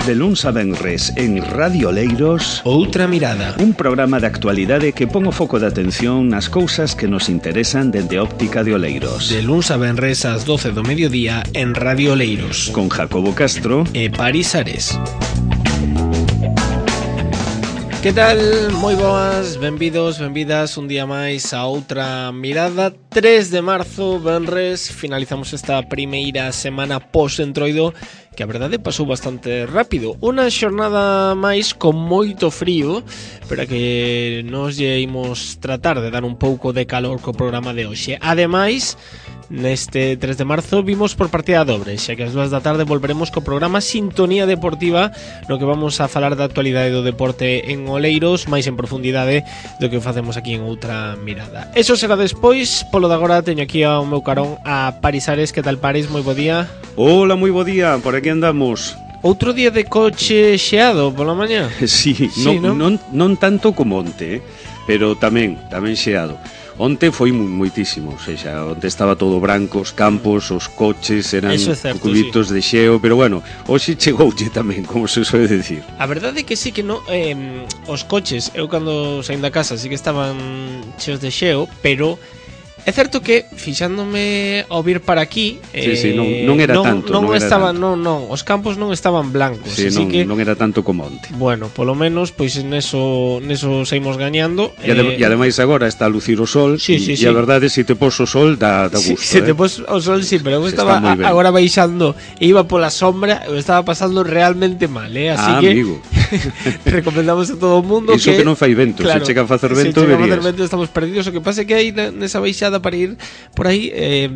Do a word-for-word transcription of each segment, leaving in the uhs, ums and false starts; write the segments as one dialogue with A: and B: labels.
A: De luns a venres en Radio Oleiros,
B: Outra Mirada,
A: un programa de actualidade que pon o foco de atención nas cousas que nos interesan dende óptica de Oleiros.
B: De luns a venres ás doce do mediodía en Radio Oleiros,
A: con Jacobo Castro
B: e Paris Ares. Que tal? Moi boas, benvidos, benvidas un día máis a Outra Mirada. Tres de marzo, venres, finalizamos esta primeira semana post-entroido, que a verdade pasou bastante rápido. Unha xornada máis con moito frío, pero que nos lle imos tratar de dar un pouco de calor co programa de hoxe. Ademais, neste tres de marzo vimos por partida dobre, xa que ás dúas da tarde volveremos co programa Sintonía Deportiva, no que vamos a falar da actualidade do deporte en Oleiros, máis en profundidade do que facemos aquí en Outra Mirada. Eso será despois. Polo de agora teño aquí ao meu carón a Paris Ares. Que tal, Paris? Moi bo día.
A: Hola, moi bo día, por aquí andamos.
B: Outro día de coche xeado pola mañá?
A: Sí,
B: sí
A: non,
B: non?
A: non, non tanto como onte, eh? pero tamén, tamén xeado. Onte foi moitísimo, ou seja, onte estaba todo branco, os campos, os coches, eran
B: é certo,
A: cubitos sí. de xeo, pero bueno, hoxe chegoulle tamén, como se soe decir.
B: A verdade é que sí que no, eh, os coches, eu cando saín da casa sí que estaban cheos de xeo, pero é certo que fixándome ao vir para aquí,
A: sí,
B: eh,
A: sí, non, non era
B: non,
A: tanto,
B: non,
A: non
B: estaban,
A: era tanto.
B: non, non, os campos non estaban blancos,
A: sí,
B: así
A: non,
B: que
A: non era tanto como onte.
B: Bueno, polo menos pois neso neso saímos gañando.
A: E, adem eh, e ademais agora está a lucir o sol,
B: sí,
A: e,
B: sí,
A: e
B: sí.
A: a verdade se te pos o sol dá, dá gusto.
B: Sí, se
A: eh?
B: te pos o sol sí, pero eu
A: se
B: estaba a, agora baixando e iba pola sombra, eu estaba pasando realmente mal, eh, así
A: ah,
B: que
A: amigo.
B: recomendamos a todo o mundo
A: Iso
B: que
A: que non fai vento,
B: claro,
A: se chega a facer vento,
B: se chega a
A: verías.
B: facer vento estamos perdidos, o que pasa é que aí nesa baixada para ir por aí eh,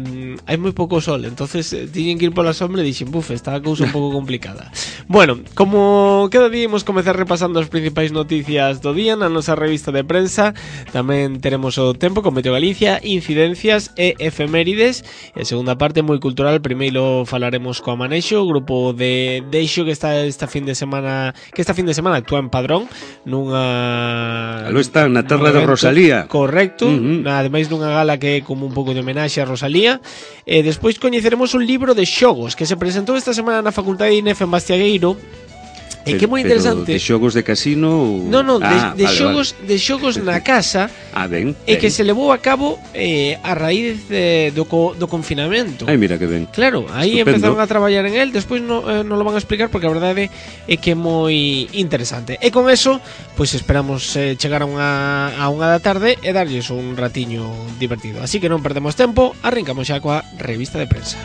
B: hai moi pouco sol, entonces eh, tiñen que ir pola sombra e dixen, buf, está a cousa un pouco complicada. Bueno, como cada día imos comezar repasando as principais noticias do día na nosa revista de prensa, tamén teremos o tempo con Meteo Galicia, incidencias e efemérides, e a segunda parte moi cultural. Primeiro falaremos co Amanexo, o grupo de Deixo que está esta fin de semana, que esta fin de semana actúa en Padrón nunha
A: Aló está na terra de Rosalía.
B: Correcto,
A: uh -huh.
B: ademais dunha gala que é como un pouco de homenaxe a Rosalía. E despois coñeceremos un libro de xogos que se presentou esta semana na Facultade de I N E F en Bastiagueiro. E que é moi interesante.
A: De xogos de casino ou...
B: Non, non,
A: ah,
B: de, de
A: vale,
B: xogos
A: vale.
B: de xogos na casa.
A: Ah, ben,
B: E
A: ben.
B: que se levou a cabo eh, a raíz de, do, co, do confinamento.
A: Ai, mira que ben.
B: Claro, aí
A: Estupendo.
B: empezaron a traballar en el. Despois non eh, no lo van a explicar porque a verdade é que é moi interesante. E con eso, pois pues esperamos eh, chegar a unha, a unha da tarde e darlles un ratiño divertido. Así que non perdemos tempo, arrancamos xa coa revista de prensa.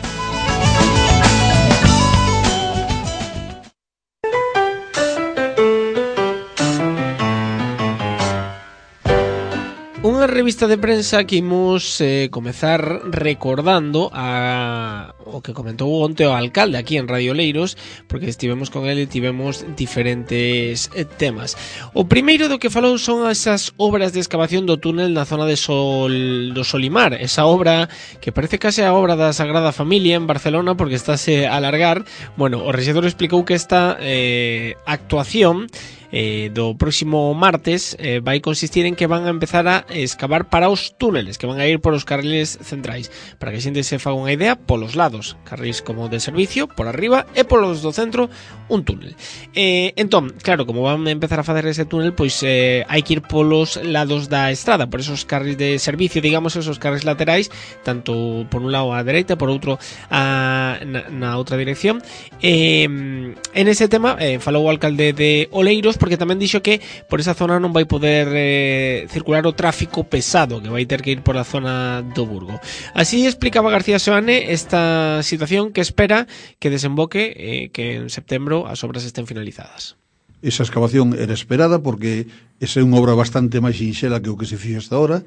B: Unha revista de prensa que imos eh, comezar recordando a o que comentou onte o alcalde aquí en Radio Oleiros, porque estivemos con ele e tivemos diferentes eh, temas. O primeiro do que falou son esas obras de excavación do túnel na zona de Sol, do Solimar, esa obra que parece case a obra da Sagrada Familia en Barcelona porque estáse a alargar. Bueno, o rexedor explicou que esta eh, actuación Eh, do próximo martes eh, vai consistir en que van a empezar a excavar para os túneles, que van a ir por os carriles centrais, para que a xente se faga unha idea, polos lados, carriles como de servicio, por arriba, e polos do centro, un túnel. Eh, entón, claro, como van a empezar a facer ese túnel, pois eh, hai que ir polos lados da estrada, por esos carriles de servicio, digamos, esos carriles laterais, tanto por un lado á dereita, por outro a, na, na outra dirección. Eh, en ese tema, eh, falou o alcalde de Oleiros, porque tamén dixo que por esa zona non vai poder eh, circular o tráfico pesado, que vai ter que ir por a zona do Burgo. Así explicaba García Soane esta situación que espera que desemboque eh, que en setembro as obras estén finalizadas.
C: Esa excavación era esperada porque esa é unha obra bastante máis sinxela que o que se fixo hasta ahora.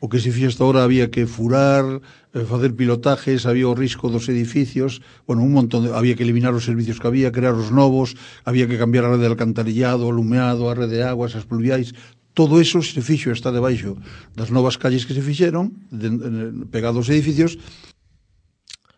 C: O que se fixo hasta ahora había que furar, eh, facer pilotajes, había o risco dos edificios, bueno, un montón de, había que eliminar os servicios que había, crear os novos, había que cambiar a rede de alcantarillado, o alumeado, a rede de aguas, as pluviais. Todo eso se fixo, está debaixo das novas calles que se fixeron, de, de, pegados aos edificios.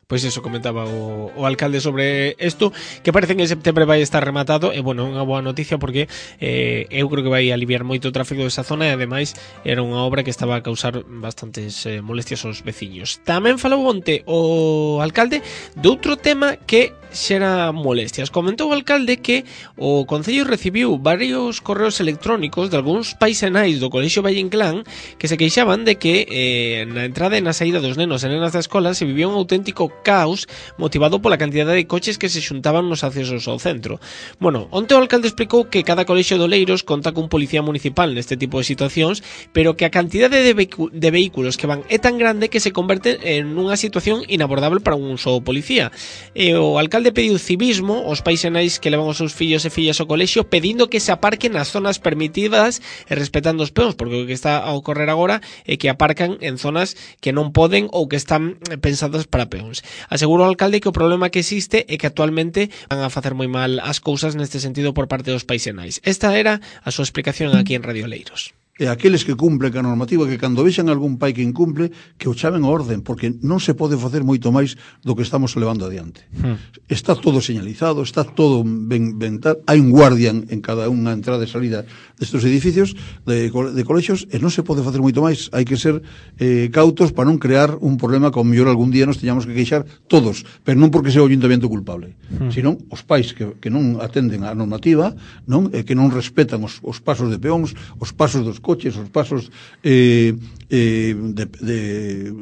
B: Pois eso comentaba o, o alcalde sobre isto, que parece que en setembro vai estar rematado. E bueno, unha boa noticia porque eh, eu creo que vai aliviar moito o tráfico desa zona, e ademais era unha obra que estaba a causar bastantes eh, molestias aos veciños. Tamén falou onte o alcalde de outro tema que xera molestias. Comentou o alcalde que o Concello recibiu varios correos electrónicos de algúns pais e nais do Colexio Valle Inclán que se queixaban de que eh, na entrada e na saída dos nenos e nenas da escola se vivía un auténtico caos motivado pola cantidade de coches que se xuntaban nos accesos ao centro. Bueno, onte o alcalde explicou que cada colexio de Oleiros conta cun policía municipal neste tipo de situacións, pero que a cantidade de, vehicu- de vehículos que van é tan grande que se converte en unha situación inabordable para un só policía. E o alcalde pediu civismo aos pais e nais que levan os seus fillos e fillas ao colexio, pedindo que se aparquen nas zonas permitidas e respetando os peóns, porque o que está a ocorrer agora é que aparcan en zonas que non poden ou que están pensadas para peóns. Asegurou o alcalde que o problema que existe é que actualmente van a facer moi mal as cousas neste sentido por parte dos pais e nais. Esta era a súa explicación aquí en Radio Oleiros.
C: E aqueles que cumplen a normativa, que cando vexan algún pai que incumple, que o chamen a orden, porque non se pode facer moito máis do que estamos levando adiante. Hmm. Está todo señalizado, está todo ben, ben tal, hai un guardián en cada unha entrada e salida destes edificios de, de colexios, e non se pode facer moito máis. Hai que ser eh, cautos para non crear un problema como mellor algún día nos teñamos que queixar todos, pero non porque sea o ayuntamiento culpable, hmm. senón os pais que, que non atenden a normativa, non, e que non respetan os, os pasos de peóns, os pasos dos coches, os pasos eh, eh, de, de,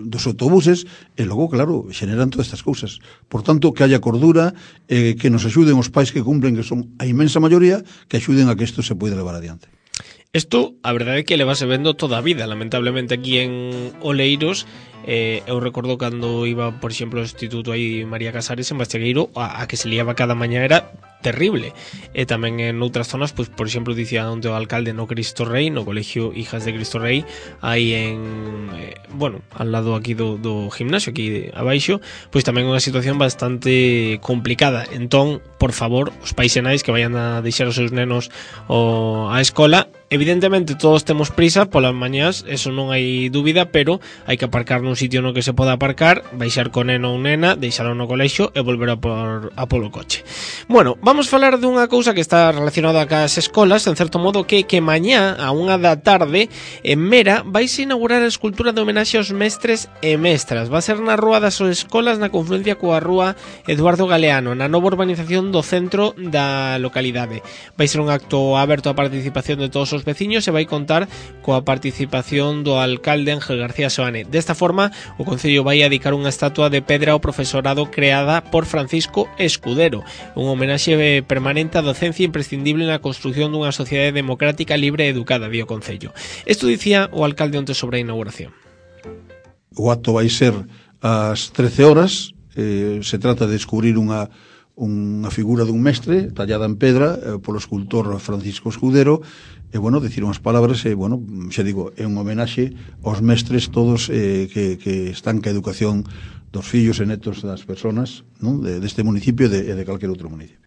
C: dos autobuses, e logo, claro, xeneran todas estas cousas. Por tanto, que haya cordura, eh, que nos axuden os pais que cumplen, que son a inmensa maioría, que axuden a que isto se poida levar adiante.
B: Isto, a verdade é que levase vendo toda a vida, lamentablemente aquí en Oleiros. Eh, eu recordo cando iba, por exemplo, ao Instituto aí María Casares en Bastegueiro, a, a que se liaba cada mañá era terrible. E tamén en outras zonas, pois, por exemplo, dicía onde o alcalde no Cristo Rei, no Colegio Hijas de Cristo Rei, aí en, eh, bueno, al lado aquí do, do gimnasio, aquí de, abaixo, pois tamén unha situación bastante complicada. Entón, por favor, os pais e nais que vayan a deixar os seus nenos o, a escola, evidentemente todos temos prisa polas mañás, eso non hai dúbida, pero hai que aparcar nun sitio no que se poda aparcar, baixar con neno ou nena, deixalo no colexio e volver a por a polo coche. Bueno, vamos falar dunha cousa que está relacionada cas escolas, en certo modo, que que mañá a unha da tarde en Mera vaise inaugurar a escultura de homenaxe aos mestres e mestras. Va a ser na Rúa das Escolas, na confluencia coa Rúa Eduardo Galeano, na nova urbanización do centro da localidade. Vai ser un acto aberto á participación de todos os veciños e vai contar coa participación do alcalde Ángel García Soane. Desta forma, o Concello vai dedicar unha estatua de pedra ao profesorado creada por Francisco Escudero, un homenaxe permanente á docencia imprescindible na construción dunha sociedade democrática, libre e educada, dio o Concello. Isto dicía o alcalde onte sobre a inauguración.
C: O acto vai ser ás trece horas, eh, se trata de descubrir unha unha figura dun mestre tallada en pedra eh, polo escultor Francisco Escudero, e, bueno, dicir unhas palabras, e, bueno, xa digo, é un homenaxe aos mestres todos eh, que, que están ca educación dos fillos e netos das persoas, non, de, deste municipio e de, de calquer outro municipio.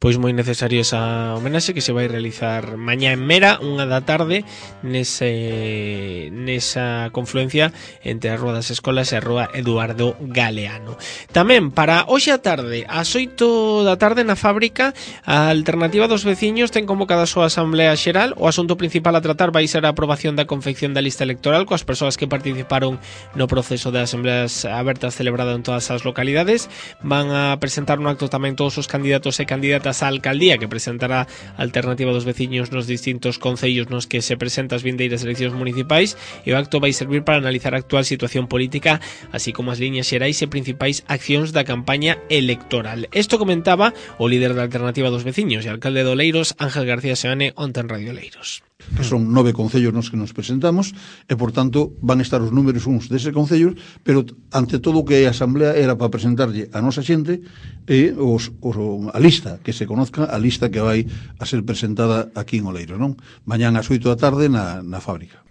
B: Pois moi necesario esa homenaxe que se vai realizar mañá en Mera, unha da tarde, nese, nesa confluencia entre a Rúa das Escolas e a Rúa Eduardo Galeano. Tamén para hoxe a tarde, ás oito da tarde na fábrica, a Alternativa dos Veciños ten convocada a súa asamblea xeral. O asunto principal a tratar vai ser a aprobación da confección da lista electoral coas persoas que participaron no proceso de asambleas abertas celebrado en todas as localidades. Van a presentar no acto tamén todos os candidatos e candidatas á alcaldía que presentará a Alternativa dos Veciños nos distintos concellos nos que se presenta as vindeiras eleccións municipais, e o acto vai servir para analizar a actual situación política, así como as liñas xerais e principais accións da campaña electoral. Isto comentaba o líder da Alternativa dos Veciños e alcalde de Oleiros, Ángel García Seoane, onte en Radio Oleiros.
C: Que son nove concellos nos que nos presentamos, e, por tanto, van estar os números uns deses concellos, pero, ante todo, o que a asamblea era para presentarlle a nosa xente e os, os, a lista, que se conozca a lista que vai a ser presentada aquí en Oleiros, non? Mañán ás oito da tarde na, na fábrica.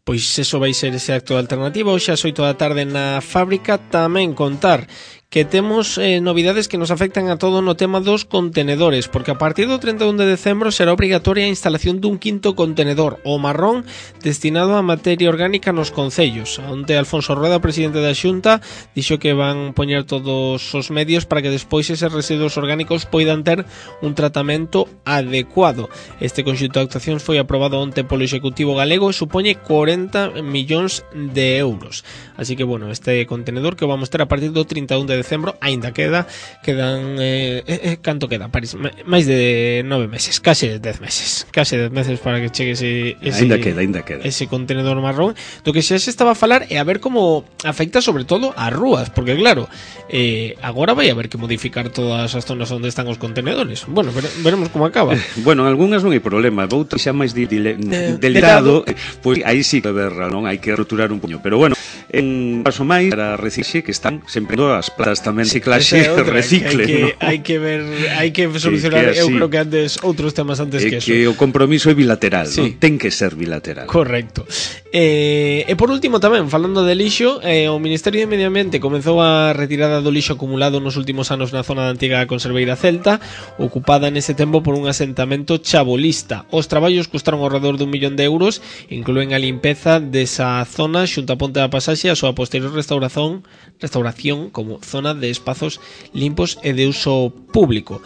B: Pois eso vai ser ese acto de Alternativa. Hoxe ás oito da tarde na fábrica. Tamén contar que temos eh, novidades que nos afectan a todo no tema dos contenedores, porque a partir do trinta e un de decembro será obrigatoria a instalación dun quinto contenedor, o marrón, destinado a materia orgánica nos concellos. Onte Alfonso Rueda, presidente da Xunta, dixo que van poñer todos os medios para que despois eses residuos orgánicos poidan ter un tratamento adecuado. Este conxunto de actuacións foi aprobado onte polo Executivo galego e supoñe corenta millóns de euros. Así que, bueno, este contenedor que vamos ter a partir do trinta e un de de decembro, aínda queda, quedan, eh, eh, canto queda, París, máis de nove meses, case dez meses, case dez meses para que chegue ese, ese,
A: ainda queda, ainda queda.
B: ese contenedor marrón, do que xa se estaba a falar é a ver como afecta sobre todo ás rúas, porque claro, eh, agora vai haber que modificar todas as zonas onde están os contenedores. Bueno, vere, veremos como acaba.
A: Bueno, algunhas non hai problema, outras xa máis di, di, de, delicado, pois aí sí que verra, non hai que roturar un puño, pero bueno, en paso máis para reciclaxe que están sempre as plantas tamén
B: sí,
A: reciclaxe
B: hai
A: recicle,
B: que,
A: ¿no?
B: hai que ver, hai que solucionar, que, que eu creo que antes outros temas antes
A: eh,
B: que eso.
A: Que o compromiso é bilateral,
B: sí.
A: ¿no? Ten que ser bilateral.
B: Correcto. Eh, e por último tamén, falando de lixo, eh, o Ministerio de Medio Ambiente comezou a retirada do lixo acumulado nos últimos anos na zona da antiga conserveira celta, ocupada nese tempo por un asentamento chabolista. Os traballos custaron ao redor dun millón de euros, incluen a limpeza desa zona xunto a Ponte da Pasaxe e a súa posterior restauración, restauración como zona de espazos limpos e de uso público.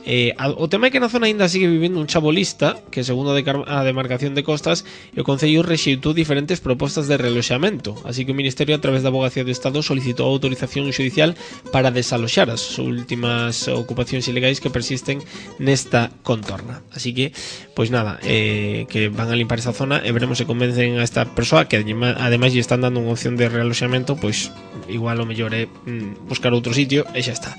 B: Eh, o tema é que na zona ainda sigue vivindo un chabolista que, segundo a demarcación de costas, o Concello rexeitou diferentes propostas de reloxamento, así que o Ministerio, a través da Abogacía do Estado, solicitou a autorización xudicial para desaloxar as últimas ocupacións ilegais que persisten nesta contorna. Así que, pois nada, eh, que van a limpar esa zona e veremos se convencen a esta persoa que ademais lle están dando unha opción de realoxamento, pois igual o mellor é mm, buscar outro sitio e xa está.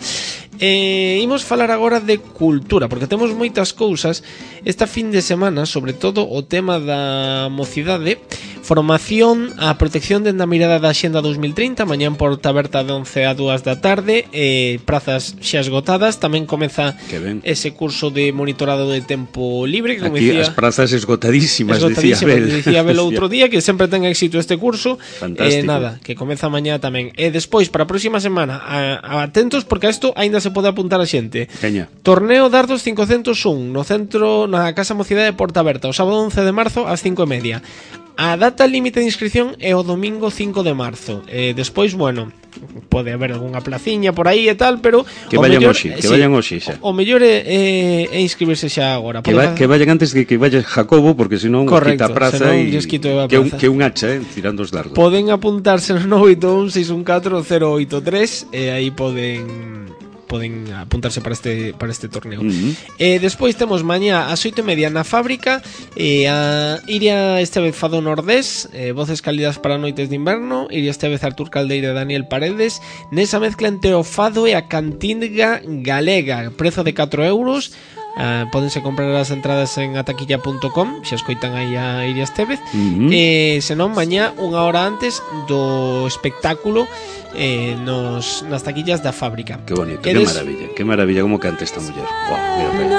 B: Eh, imos falar agora de cultura, porque temos moitas cousas esta fin de semana, sobre todo o tema da mocidade, formación a protección dende a mirada da Axenda dos mil trinta, mañán porta aberta de once a dúas da tarde, eh, prazas xa esgotadas, tamén comeza ese curso de monitorado de tempo libre, que como
A: aquí
B: decía,
A: as prazas esgotadísimas,
B: esgotadísimas
A: decía Abel,
B: decía Abel outro día, que sempre ten éxito este curso. Eh,
A: fantástico.
B: nada, que comeza mañá tamén. E despois, para a próxima semana, a, a atentos, porque a isto aínda se pode apuntar a xente.
A: Caña.
B: Torneo Dardos cincocentos un no centro, na Casa Mocidade de Porta Aberta, o sábado once de marzo ás cinco e media. A data límite de inscripción é o domingo cinco de marzo. Eh, despois, bueno, pode haber algunha placiña por aí e tal, pero
A: que vayan hoxe, que sí, vayan hoxe xa.
B: O, o mellor é, é, é inscribirse xa agora.
A: Que, va, que vayan antes de que vaya Jacobo, porque senón quita a praza e que un que un hacha, eh, tirando os dardos.
B: Poden apuntarse no oito un seis un catro cero oito tres e aí poden poden apuntarse para este para este torneo. Uh-huh. Eh, despois temos mañá ás oito e media na Fábrica, eh, a Iria Estevez Fado Nordés, eh, voces cálidas para noites de inverno, Iria Estevez, Artur Caldeira e Daniel Paredes, nesa mezcla entre o fado e a cantinga galega, prezo de catro euros. Uh, pódense comprar as entradas en ataquilla punto com, xa escoitan aí a Iria Estevez. Uh-huh. eh, senón mañá unha hora antes do espectáculo eh, nos, nas taquillas da Fábrica.
A: Que bonito, Eres... que maravilla, que maravilla como canta esta muller. Wow, mira,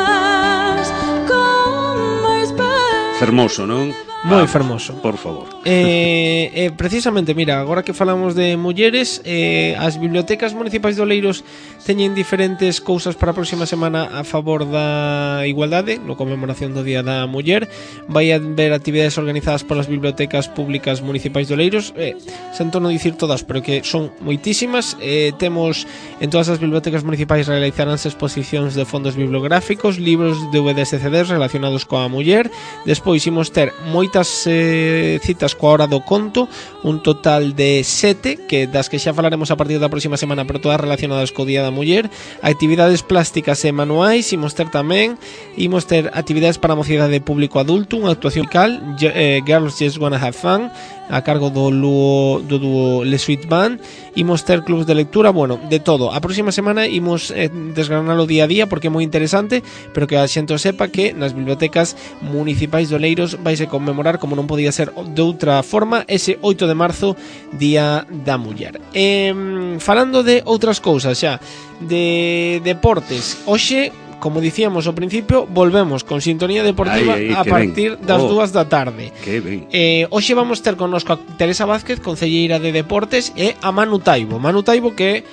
A: fermoso, non?
B: Moi fermoso.
A: Por favor.
B: Eh, eh, precisamente, mira, agora que falamos de mulleres, eh, as bibliotecas municipais de Oleiros teñen diferentes cousas para a próxima semana a favor da igualdade, no conmemoración do Día da Muller. Vai haber actividades organizadas polas bibliotecas públicas municipais de Oleiros, eh, sento non dicir todas, pero que son moitísimas. Eh, temos en todas as bibliotecas municipais realizaránse exposicións de fondos bibliográficos, libros, D V Ds e C Ds relacionados coa muller. Despois imos ter moitas eh, citas coa hora do conto, un total de sete, que das que xa falaremos a partir da próxima semana, pero todas relacionadas co Día da Muller. Actividades plásticas e manuais imos ter tamén, imos ter actividades para a mocidade público adulto, unha actuación musical, eh, Girls Just Wanna Have Fun, a cargo do Luo, do dúo Le Sweet Band. Imos ter clubs de lectura, bueno, de todo. A próxima semana imos eh, desgranalo día a día porque é moi interesante, pero que a xente sepa que nas bibliotecas municipais de Oleiros vaise conmemorar, como non podía ser de outra forma, ese oito de marzo, Día da Muller. Eh, falando de outras cousas xa, de deportes, hoxe, como dicíamos ao principio, volvemos con sintonía deportiva ay, ay, a partir ben. das oh, dúas da tarde.
A: Que ben.
B: Eh, hoxe vamos ter connosco a Teresa Vázquez, concelleira de Deportes, e a Manu Taibo. Manu Taibo que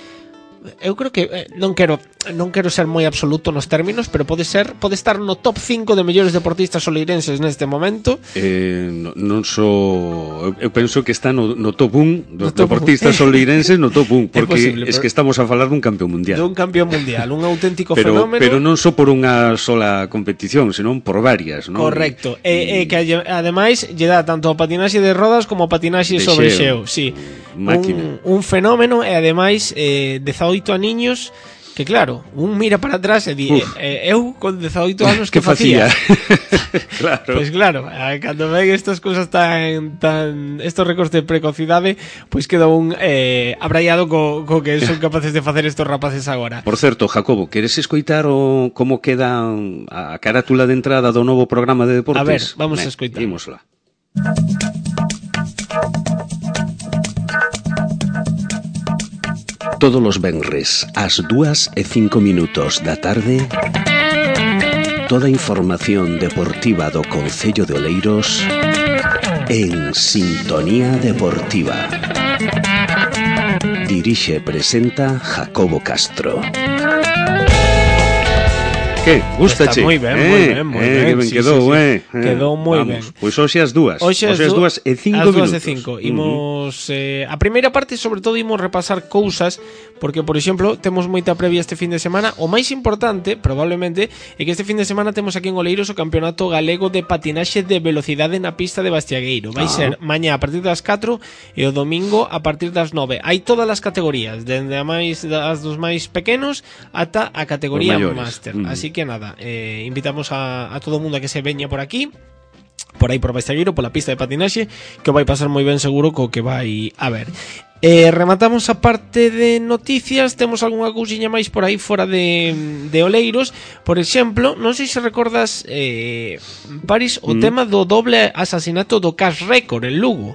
B: eu creo que eh, non quero non quero ser moi absoluto nos términos, pero pode ser, pode estar no top cinco de mellores deportistas oleirenses neste momento.
A: Eh, no, non só, eu penso que está no, no top un dos
B: no top
A: deportistas
B: un.
A: oleirenses, no top un, porque
B: é, posible,
A: es que estamos a falar dun campeón mundial.
B: Dun campeón mundial, un auténtico
A: pero,
B: fenómeno.
A: Pero non só por unha sola competición, senón por varias, non?
B: Correcto. E, e que ademais lle dá tanto ao patinaxe de rodas como ao patinaxe sobre xeo, sí. Un, un fenómeno e ademais eh, dezaoito aniños que claro, un mira para atrás e di, eh, eu con dezaoito anos que, que facía?
A: Claro.
B: Pois pues claro, cando ven estas cousas tan tan estos récords de precocidade, pois pues queda un eh, abraiado co, co que son capaces de facer estos rapaces agora.
A: Por certo, Jacobo, queres escoitar o como queda a carátula de entrada do novo programa de deportes?
B: A ver, vamos
A: Ben,
B: a escoitar.
A: Ímosla. Todos os venres, ás dúas e cinco minutos da tarde, toda a información deportiva do Concello de Oleiros en Sintonía Deportiva. Dirixe e presenta Jacobo Castro. Que? Gustache?
B: Está moi ben,
A: eh,
B: moi ben, moi
A: eh,
B: ben.
A: Que ben
B: sí,
A: quedou,
B: sí, sí.
A: eh.
B: Quedou moi ben.
A: Pois hoxe as dúas.
B: Hoxe as
A: dúas e cinco minutos.
B: As dúas e cinco. Imos, eh, a primeira parte, sobre todo, imos repasar cousas, porque, por exemplo, temos moita previa este fin de semana. O máis importante, probablemente, é que este fin de semana temos aquí en Oleiros o Campeonato Galego de Patinaxe de Velocidade na pista de Bastiagueiro. Vai ah. ser mañá a partir das catro e o domingo a partir das nove. Hai todas as categorías, dende a máis das dos máis pequenos ata a categoría máster. Mm. Así que nada, eh, invitamos a, a todo o mundo a que se veña por aquí, por aí por Bastiagueiro, pola pista de patinaxe, que o vai pasar moi ben seguro co que vai a ver. Eh, rematamos a parte de noticias. Temos algunha cousiña máis por aí fora de, de Oleiros. Por exemplo, non sei se recordas, eh, Paris, o mm. tema do doble asasinato do Cash Record en Lugo.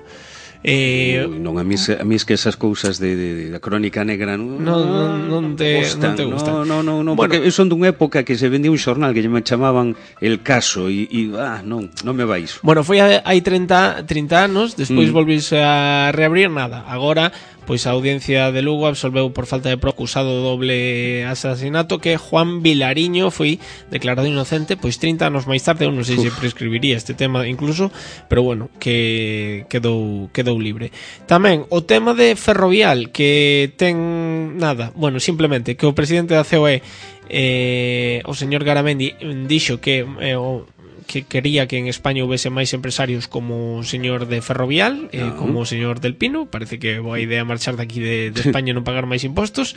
A: Eh, Ui, non, a mí, a mí es que esas cousas de, de, de da crónica negra non,
B: non, non, non, te,
A: gustan,
B: non te gustan.
A: Non, non, non,
B: bueno,
A: porque son dunha época que se vendía un xornal que me chamaban El Caso e, e ah, non, non me vai iso.
B: Bueno, foi hai treinta, treinta anos, despois mm. volvise a reabrir nada. Agora, pois a audiencia de Lugo absolveu por falta de prova acusado do doble asasinato que Juan Vilariño foi declarado inocente pois trinta anos máis tarde. Eu non sei Uf. se prescribiría este tema incluso, pero bueno, que quedou quedou libre. Tamén o tema de Ferrovial, que ten nada, bueno, simplemente que o presidente da C O E, eh, o señor Garamendi, dixo que eh, o que quería que en España houvese máis empresarios como o señor de Ferrovial, eh, uh-huh. como o señor del Pino. Parece que boa idea marchar daqui de, de España e non pagar máis impostos.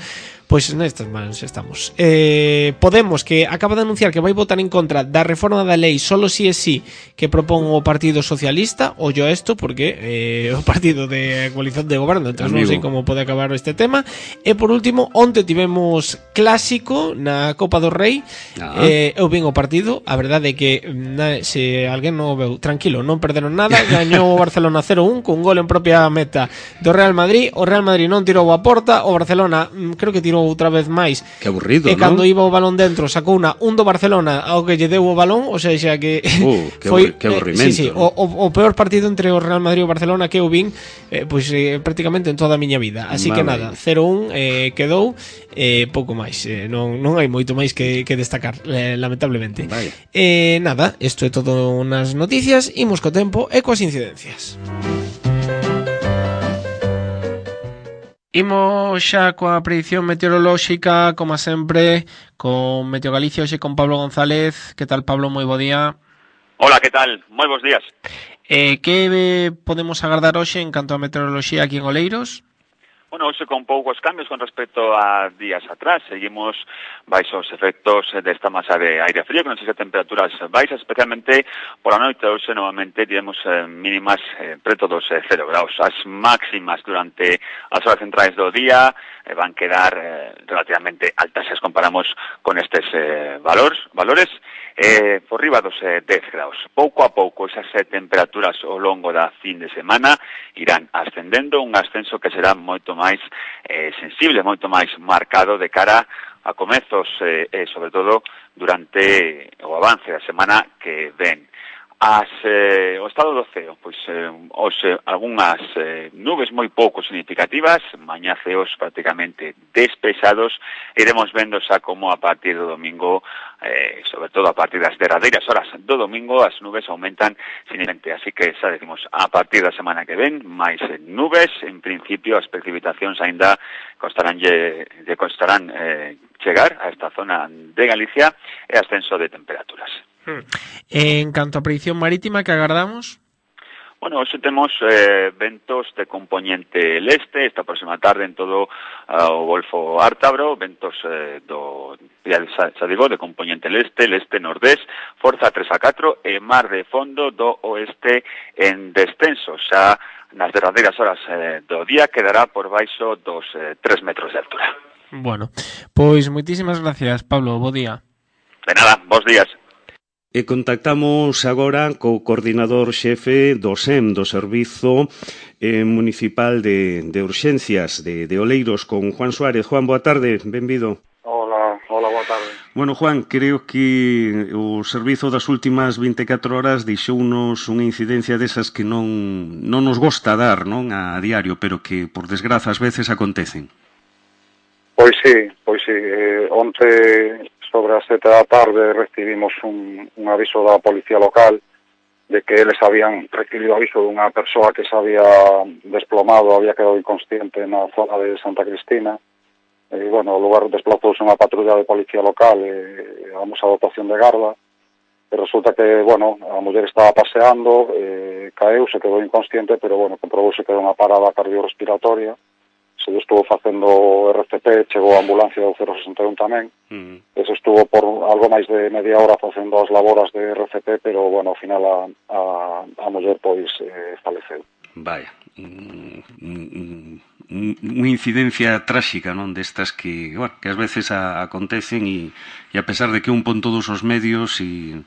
B: Pois nestas mans estamos. eh, Podemos, que acaba de anunciar que vai votar en contra da reforma da lei solo si é si que propón o Partido Socialista. Ollo a esto, porque eh, o partido de coalición de goberno, entón non sei como pode acabar este tema. E por último, onte tivemos clásico na Copa do Rei. uh-huh. eh, Eu vin o partido, a verdade é que na, se alguén non o veu, tranquilo, non perderon nada. Gañou o Barcelona cero un cun gol en propia meta do Real Madrid. O Real Madrid non tirou a porta. O Barcelona creo que tirou outra vez máis.
A: Que aburrido,
B: e cando
A: ¿no?
B: iba o balón dentro sacou unha un do Barcelona ao que lle deu o balón. O sea, xa que
A: uh, que
B: foi
A: que aburrimento.
B: Eh, sí, sí, o, o, o peor partido entre o Real Madrid e o Barcelona que eu vin eh, pois eh, prácticamente en toda a miña vida. Así vale. que nada, cero un eh, quedou eh, pouco máis. Eh, non, non hai moito máis que, que destacar, eh, lamentablemente.
A: Vale.
B: Eh, nada, isto é todo nas noticias. Imos co tempo e coas incidencias. Imos xa coa predición meteorolóxica, como sempre, con Meteo Galicia, hoxe con Pablo González. Que tal, Pablo? Moi bo día.
D: Hola, que tal? Moi bons días.
B: Eh, que podemos agardar hoxe en canto a meteoroloxía aquí en Oleiros?
D: Bueno, hoxe con poucos cambios con respecto a días atrás. Seguimos baixos efectos desta masa de aire frío, que nos deixa temperaturas baixas, especialmente pola noite. Hoxe novamente tivemos eh, mínimas eh, preto dos eh, cero graus. As máximas durante as horas centrais do día eh, van quedar eh, relativamente altas se as comparamos con estes eh, valores, valores eh, por riba dos eh, dez graus. Pouco a pouco esas eh, temperaturas ao longo da fin de semana irán ascendendo, un ascenso que será moito máis eh, sensible, moito máis marcado de cara a comezos, eh, eh, sobre todo durante o avance da semana que ven. As, eh, o estado do ceo, pois eh, os, eh, algunhas eh, nubes moi pouco significativas, mañá ceos prácticamente despejados, iremos vendo xa como a partir do domingo, eh, sobre todo a partir das derradeiras horas do domingo, as nubes aumentan significativamente, así que xa decimos, a partir da semana que ven, máis eh, nubes, en principio as precipitacións aínda costarán, lle, lle costarán eh, chegar a esta zona de Galicia e ascenso de temperaturas.
B: En canto a predicción marítima que agardamos?
D: Bueno, hoxe temos eh, ventos de componente leste, esta próxima tarde en todo uh, o Golfo Ártabro, ventos eh, do, ya, xa digo, de componente leste, leste nordés, forza tres a catro e mar de fondo do oeste en descenso. Xa nas derradeiras horas eh, do día quedará por baixo dos eh, tres metros de altura.
B: Bueno, pois moitísimas gracias, Pablo, bo día.
D: De nada, bons días.
A: E contactamos agora co coordinador xefe do S E M, do Servizo eh, Municipal de, de Urxencias de, de Oleiros, con Juan Suárez. Juan, boa tarde, benvido.
E: Hola, hola, boa tarde.
A: Bueno, Juan, creo que o servizo das últimas vinte e catro horas deixounos unha incidencia desas que non, non nos gosta dar, non, a diario, pero que, por desgraza, ás veces acontecen.
E: Pois sí, pois sí. Eh, onte, sobre as sete da tarde, recibimos un, un aviso da policía local de que eles habían recibido aviso dunha persoa que se había desplomado, había quedado inconsciente na zona de Santa Cristina. E, bueno, o lugar desplazouse unha patrulla de policía local e damos a dotación de garda. E resulta que, bueno, a muller estaba paseando, eh, caeu, se quedou inconsciente, pero, bueno, comprobouse que era unha parada cardiorrespiratoria. Se estuvo facendo o R C P, chegou a ambulancia do cero sesenta e un tamén. Mm. Eso estuvo por algo máis de media hora facendo as laboras de R C P, pero, bueno, ao final a, a, a muller, pois, eh, faleceu.
A: Vaya, unha incidencia tráxica, non, destas que, bueno, que ás veces a, acontecen e, e a pesar de que un pon todos os medios e,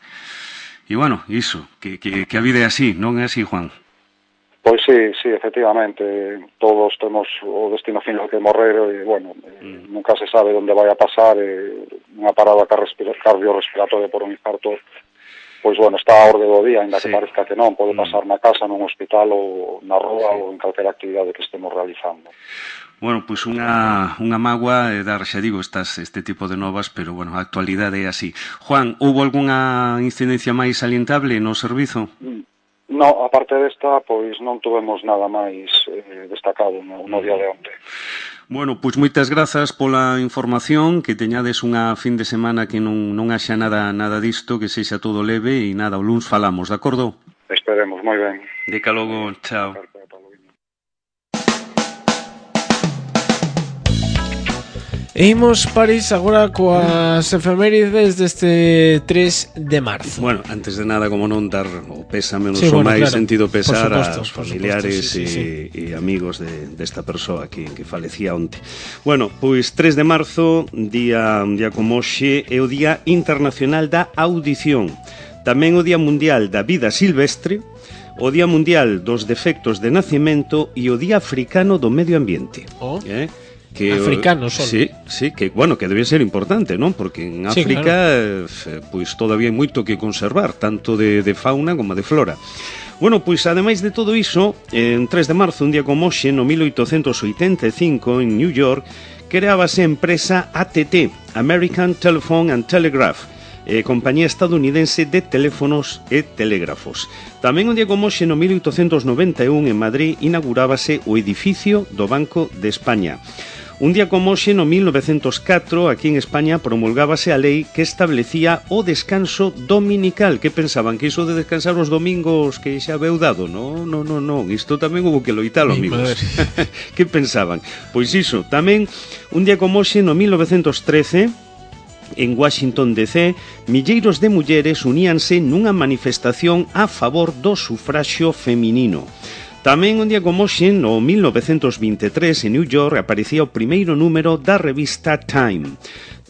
A: e bueno, iso, que, que, que a vida é así, non é así, Juan?
E: Pois sí, sí, efectivamente, todos temos o destino final que morrer e, bueno, mm. nunca se sabe onde vai a pasar, e unha parada cardiorrespiratoria por un infarto, pois, bueno, está a orde do día, ainda sí. que parezca que non, pode pasar mm. na casa, nun hospital ou na rúa sí. ou en calquera actividade que estemos realizando.
A: Bueno, pois unha, unha mágoa de dar, xa digo, estas, este tipo de novas, pero, bueno, a actualidade é así. Juan, houbo algunha incidencia máis salientable no servizo?
E: Mm. No, aparte desta, pois non tuvemos nada máis eh, destacado no, no día de onte.
A: Bueno, pois moitas grazas pola información, que teñades unha fin de semana que non, non haxa nada nada disto, que sexa todo leve e nada, o luns falamos, de acordo?
E: Esperemos, moi ben.
A: Deca logo, chao.
B: E imos, París, agora coas efemérides deste tres de marzo.
A: Bueno, antes de nada, como non, dar o pésame, no
B: sí,
A: so
B: bueno,
A: máis
B: claro,
A: sentido pesar
B: supuesto,
A: aos familiares
B: supuesto, sí, sí,
A: e, sí. e amigos de, desta persoa que, que falecía onte. Bueno, pois tres de marzo, día, un día como hoxe, é o Día Internacional da Audición. Tamén o Día Mundial da Vida Silvestre, o Día Mundial dos Defectos de Nacimento e o Día Africano do Medio Ambiente.
B: Oh.
A: Eh? Que,
B: africanos son.
A: Sí, sí, que, bueno, que debe ser importante, non? Porque en África, sí, claro. eh, pois todavía hai moito que conservar, tanto de, de fauna como de flora. Bueno, pois ademais de todo iso, en tres de marzo, un día como hoxe, no mil oitocentos oitenta e cinco, en New York, creábase a empresa A T T, American Telephone and Telegraph, eh, compañía estadounidense de teléfonos e telégrafos. Tamén un día como hoxe, no mil oitocentos noventa e un, en Madrid, inaugurábase o edificio do Banco de España. Un día como hoxe, no mil novecentos catro, aquí en España, promulgábase a lei que establecía o descanso dominical. Que pensaban? Que iso de descansar os domingos que xa veu dado? Non, non, non, non. Isto tamén hubo que loitalo, amigos. Que pensaban? Pois iso, tamén un día como hoxe, no mil novecentos trece, en Washington D C, milleiros de mulleres uníanse nunha manifestación a favor do sufraxio feminino. Tamén un día como hoxe, no mil novecentos vinte e tres, en New York, aparecía o primeiro número da revista Time.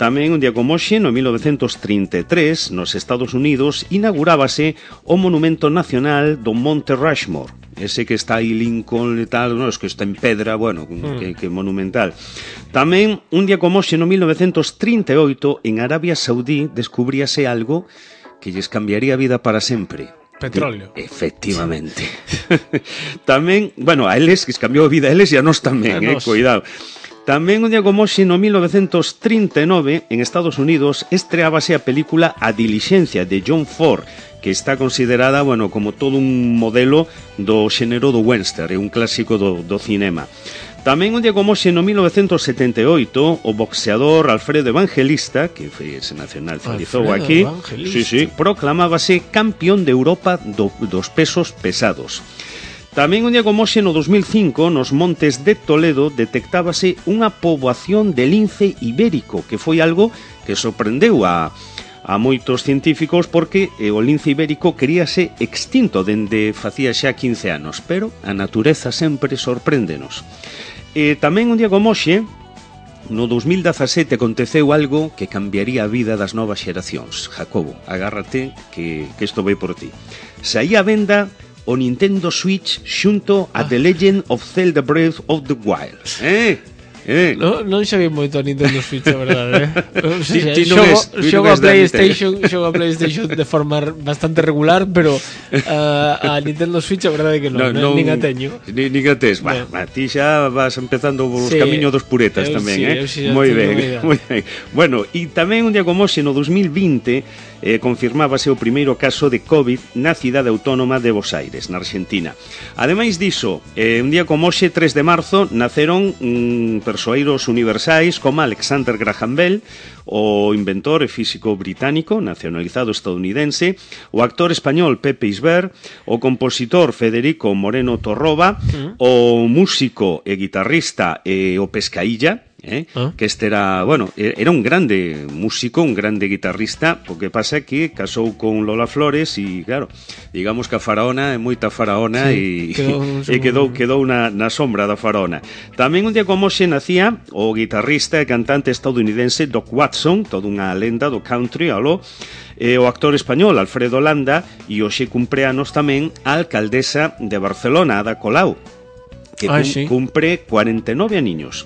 A: Tamén un día como hoxe, no mil novecentos trinta e tres, nos Estados Unidos, inaugurábase o Monumento Nacional do Monte Rushmore. Ese que está aí Lincoln e tal, no, es que está en pedra, bueno, mm. que, que monumental. Tamén un día como hoxe, no mil novecentos trinta e oito, en Arabia Saudí, descubríase algo que lles cambiaría a vida para sempre.
B: Petróleo.
A: E, efectivamente. Tamén, bueno, a eles que cambiou a vida a eles e a nós tamén, a eh, nos. Cuidado. Tamén un día como hoxe, no mil novecentos trinta e nove, en Estados Unidos, estreábase a película A Diligencia, de John Ford, que está considerada, bueno, como todo un modelo do xénero do western, é un clásico do, do cinema. Tamén un día como hoxe, no mil novecentos setenta e oito, o boxeador Alfredo Evangelista, que foi, se nacionalizou aquí, sí, sí, proclamábase campeón de Europa do, dos pesos pesados. Tamén un día como hoxe, no dos mil cinco, nos montes de Toledo detectábase unha poboación de lince ibérico, que foi algo que sorprendeu a, a moitos científicos porque eh, o lince ibérico queríase extinto dende facía xa quince anos, pero a natureza sempre sorpréndenos. E tamén un día como hoxe, no dos mil dezasete, aconteceu algo que cambiaría a vida das novas xeracións. Jacobo, agárrate que, que isto vai por ti. Saía a venda o Nintendo Switch xunto a The Legend of Zelda Breath of the Wild. Eh? Eh.
B: No, non xa vi moito a Nintendo Switch, a verdade, eh? O sea,
A: ti, ti
B: xogo,
A: ves,
B: xogo a PlayStation, xogo a PlayStation de forma bastante regular, pero uh, a Nintendo Switch a verdade que non, no, non nin a teño.
A: Ni, nin a tes, va, no. Ti xa vas empezando os sí, camiños dos puretas eu, tamén, sí, eh? Sí, moi ben, moi ben. Bueno, e tamén un día como hoxe, no dos mil vinte, eh, confirmábase o primeiro caso de COVID na cidade autónoma de Buenos Aires, na Argentina. Ademais diso, eh, un día como hoxe, tres de marzo, naceron mm, persoeiros universais como Alexander Graham Bell, o inventor e físico británico, nacionalizado estadounidense, o actor español Pepe Isbert, o compositor Federico Moreno Torroba, uh-huh. o músico e guitarrista e o Pescailla, Eh? ¿Ah? Que este era, bueno, era un grande músico, un grande guitarrista, o que pasa que casou con Lola Flores e, claro, digamos que a faraona é moita faraona sí, e quedou, e quedou, quedou na, na sombra da faraona. Tamén un día como hoxe nacía o guitarrista e cantante estadounidense Doc Watson, toda unha lenda do country, aló, e o actor español Alfredo Landa, e hoxe cumpleanos tamén a alcaldesa de Barcelona, Ada Colau, que Ay, cum, sí. cumpre cuarenta e nove aniños.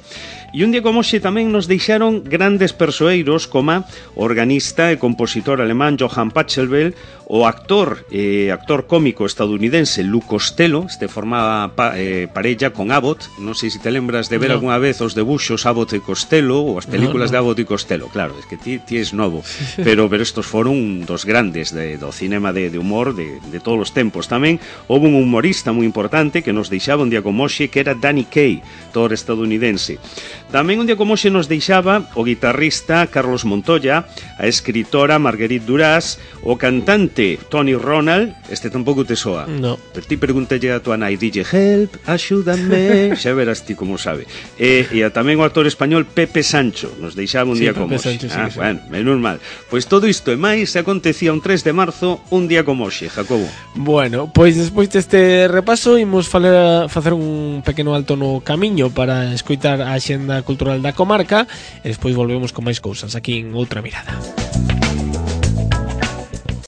A: E un día como hoxe tamén nos deixaron grandes persoeiros como organista e compositor alemán Johann Pachelbel, o actor e eh, actor cómico estadounidense Lou Costello, este formaba pa, eh, parella con Abbott. Non sei se te lembras de ver no. algunha vez os debuxos Abbott e Costello, ou as películas no, no. de Abbott e Costello. Claro, es que ti, ti es novo, pero pero estos foron dos grandes de, do cinema de, de humor de, de todos os tempos. Tamén houve un humorista moi importante que nos deixaba un día como hoxe, que era Danny Kaye, actor estadounidense. Tamén un día como hoxe nos deixaba o guitarrista Carlos Montoya, a escritora Marguerite Duras, o cantante Tony Ronald, este tampouco te soa.
B: No.
A: Pero ti pregúntalle a tua nai, dille help, axúdame, xa verás ti como sabe. E, e a tamén o actor español Pepe Sancho, nos deixaba un sí, día como hoxe. Sí, ah, sí. Bueno, menos mal. Pois todo isto e máis acontecía un tres de marzo, un día como hoxe, Jacobo.
B: Bueno, pois despois deste repaso imos falar, facer un pequeno alto no camiño para escoitar a axenda cultural da comarca e despois volvemos con máis cousas aquí en Outra Mirada.